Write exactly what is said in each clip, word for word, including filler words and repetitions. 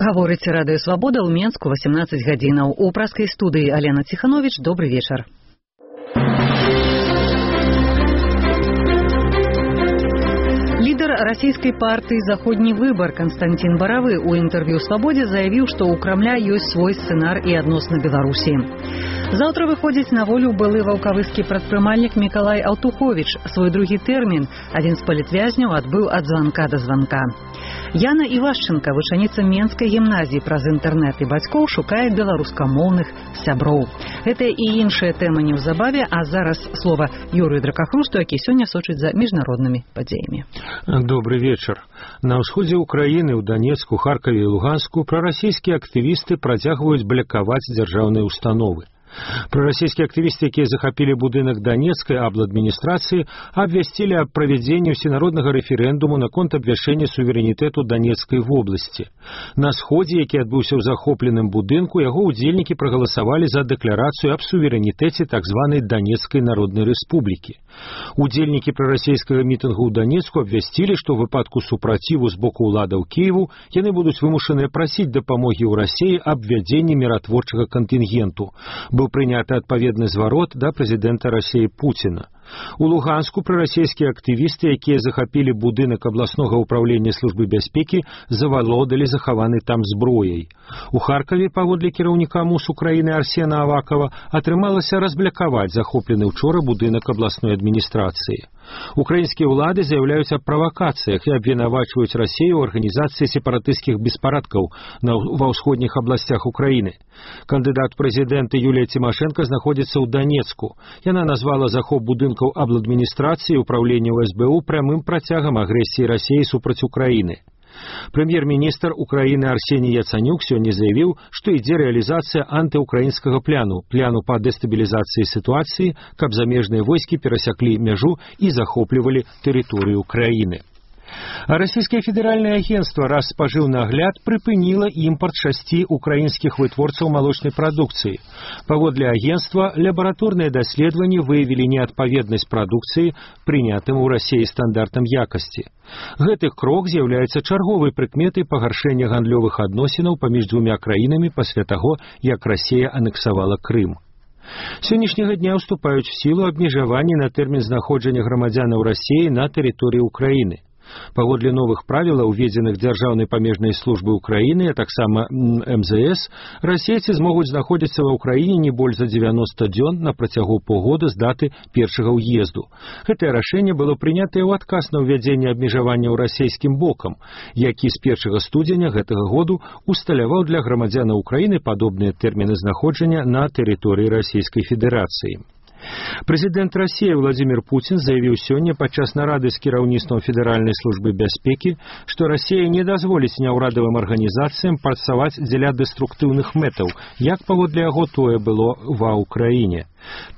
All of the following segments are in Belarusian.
Гаворыць Радыё Свабода ў Менску восемнадцать гадзінаў. У праскай студыі Алена Ціханович. Добрый вечар. Лидер российской партии «Заходний выбор» Константин Боровы у интервью «Свободе» заявил, что у Кремля есть свой сценар и адносна Беларуси. Завтра выходит на волю былы ваўкавыскі прадпрымальнік Миколай Алтухович. Свой другі тэрмін один з палітвязняў адбыў ад званка до званка. Яна Івашченко, вучаніца Менскай гімназіі, праз інтэрнэт і бацькоў шукае беларускамоўных сяброў. Гэта і іншая тэма неўзабаве, а зараз слова Юрыю Дракахрусту, які сёння сочыць за міжнароднымі падзеямі. Добрый вечер. На ўсходзе Украіны, ў Данецку, Харкаве і Луганску прарасійскія актывісты працягваюць блакаваць дзяржаўныя установы. Прарасійскія актывісты, якія захапілі будынак Данецкай абладміністрацыі, абвясцілі аб правядзенні ўсенароднага рэферэндуму наконт абвяшчэння суверэнітэту Данецкай вобласці. На сходзе, які адбыўся ў захопленым будынку, яго ўдзельнікі прагаласавалі за дэкларацыю аб суверэнітэце так званай Данецкай народнай рэспублікі. Удзельнікі прарасійскага мітынгу ў Данецку абвясцілі, што ў выпадку супраціву з боку ўладаў Кіеву яны будуць вымушаныя прасіць дапамогі ў Расіі аб ввядзенні міратворчага кантынгенту. Быў прыняты адпаведны зварот да прэзідэнта Расіі Пуціна. У Луганску прарасійскія актывісты, якія захапілі будынак абласнога ўпраўлення службы бяспекі, завалодалі захаванай там зброяй. У Харкаве, паводле кіраўніка МУС Украіны Арсена Авакова, атрымалася разблякаваць захоплены ўчора будынак абласной адміністрацыі. Украінскія ўлады заяўляюць аб правакацыях і абвінавачваюць Расію ў арганізацыі сепаратысцкіх беспарадкаў ва ўсходніх абласцях Украіны. Кандыдат прэзідэнта Юлія Цімашэнка знаходзіцца ў Данецку. Яна назвала захоп будынкаў абладміністрацыі ўпраўлення ў эс бэ у прямым працягам агрэсіі Расіі супраць Украіны. Прэм'ер-міністр Украіны Арсеній Яцанюк сёння заявіў, што ідзе рэалізацыя антыукраінскага пляну, пляну па дэстабілізацыі сітуацыі, каб замежныя войскі перасяклі мяжу і захоплівалі тэрыторыю краіны. А расійскае федэральнае агенцтва раз спажыў нагляд прыпыніла імпарт шасці украінскіх вытворцаў малочнай прадукцыі. Паводле агенцтва, лабараторныя даследаванні выявілі неадпаведнасць прадукцыі прынятым у Расіі стандартам якасці. Гэты крок з'яўляецца чарговай прыкметай пагаршэння гандлёвых адносінаў паміж дзвюма краінамі пасля таго, як Расія анексавала Крым. Сённяшняга дня ўступаюць в сілу абмежаванні на тэрмін знаходжання грамадзянаў Расіі на тэрыторыі Украіны. Паводле новых правілаў, уведзеных Дзяржаўнай памежнай службы Украіны, а таксама эм зэ эс, расейцы змогуць знаходзіцца ва ўкраіне не больш за дзевяноста дзён на працягу паўгода з даты першага ўезду. Гэтае рашэнне было прынятае ў адказ на ўвядзенне абмежаванняў расійскім бокам, які з першага студзеня гэтага году усталяваў для грамадзянаў Украіны падобныя тэрміны знаходжання на тэрыторыі Расійскай Федэрацыі. Прэзідэнт Расіі Владзімір Пуцін заявіў сёння падчас нарады з кіраўніцтвам Федэральнай службы бяспекі, што Расія не дазволіць няўрадавым арганізацыям працаваць дзеля дэструктыўных мэтаў, як паводле яго тое было ва ўкраіне.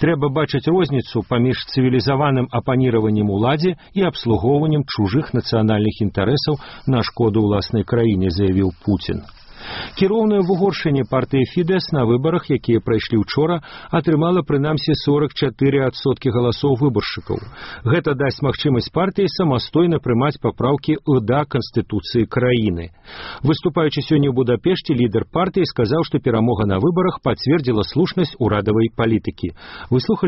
Трэба бачыць розніцу паміж цывілізаваным апаніраваннем уладзе і абслугоўваннем чужых нацыянальных інтарэсаў на шкоду ўласнай краіне, заявіў Пуцін. Кіроўная в Угоршыні партыя Фідэс на выбарах, якія прайшлі ўчора, атрымала прынамсі сорок чатыры адсоткі галасоў выбаршчыкаў. Гэта дасць магчымасць партыі самастойна прымаць папраўкі да Канстытуцыі краіны. Выступаючы сёння ў Будапешце, лідар партыі сказаў, што перамога на выбарах пацвердзіла слушнасць урадавай палітыкі. Выслухалі